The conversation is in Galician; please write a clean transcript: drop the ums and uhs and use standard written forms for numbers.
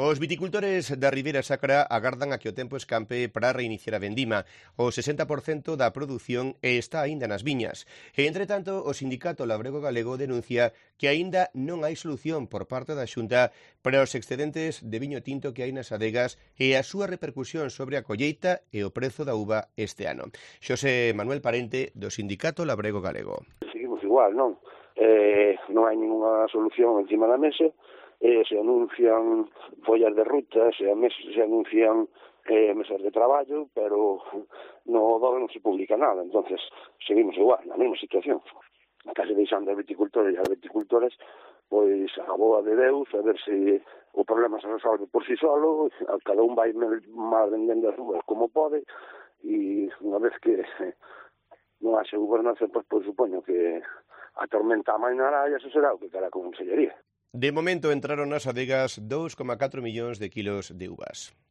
Os viticultores da Ribeira Sacra agardan a que o tempo escampe para reiniciar a vendima. O 60% da produción está aínda nas viñas. E, entre tanto, o sindicato labrego galego denuncia que aínda non hai solución por parte da Xunta para os excedentes de viño tinto que hai nas adegas e a súa repercusión sobre a colleita e o prezo da uva este ano. Xosé Manuel Parente, do sindicato labrego galego. Seguimos igual, non? Non hai ninguna solución encima da mesa. Se anuncian follas de ruta, se anuncian mesas de traballo, pero no DOE non se publica nada. Entonces seguimos igual, na mesma situación. Case deixando a viticultores e as viticultoras pois a boa de Deus, a ver se o problema se resolve por si solo, cada un vai mal vendendo as uvas como pode, e unha vez que non haxe gobernación, pois supoño que a tormenta amainará e eso será o que cara con consellería. De momento entraron nas adegas 2,4 millóns de kilos de uvas.